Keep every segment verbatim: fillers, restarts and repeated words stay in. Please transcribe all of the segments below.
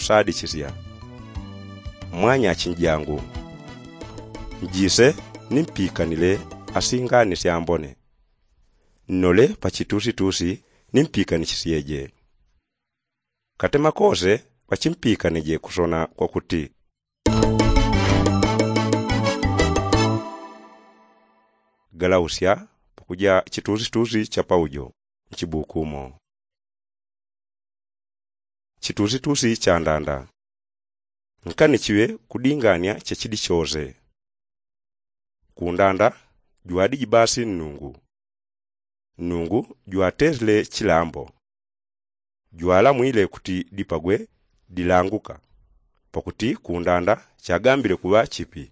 tadichisya. Mwanyachinjangu, njise nimpikanile asingani syambone, nnole pachitusitusi nimpikanishsyeje. Katema kose pachimpikanije kusona kwakuti. Galausya pakuja chitusitusi cha paujo nchibukumo. Chitusitusi cha ndanda. Nkani chiŵe kudinganya chachidi chose. Kundanda jwadiji basi nnungu. Nnungu jwatesile chilambo. Jwalamwile kuti dipagwe dilanguka, pakuti kundanda chagambile kuŵa chipi.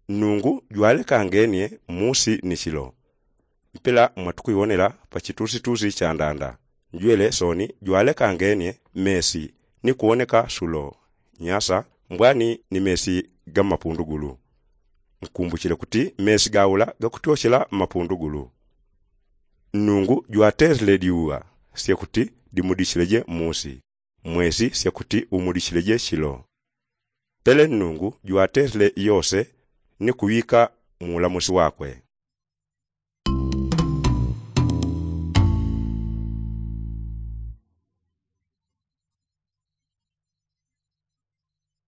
Nnungu jwalekangenye musi ni chilo. Mpela mwatukuiwonela pachitusitusi cha ndanda. Njwele soni jwalekangenye mesi ni kuwoneka sulo, nyasa, mbwani ni mesi ga mmapundugulu. Nkumbuchile kuti mesi gaula gakutyochela mmapundugulu. Nnungu jwatesile diuŵa syakuti dimudichileje musi, mwesi syakuti umudichileje chilo. Pele nnungu jwatesile yose ni kuŵika muulamusi wakwe.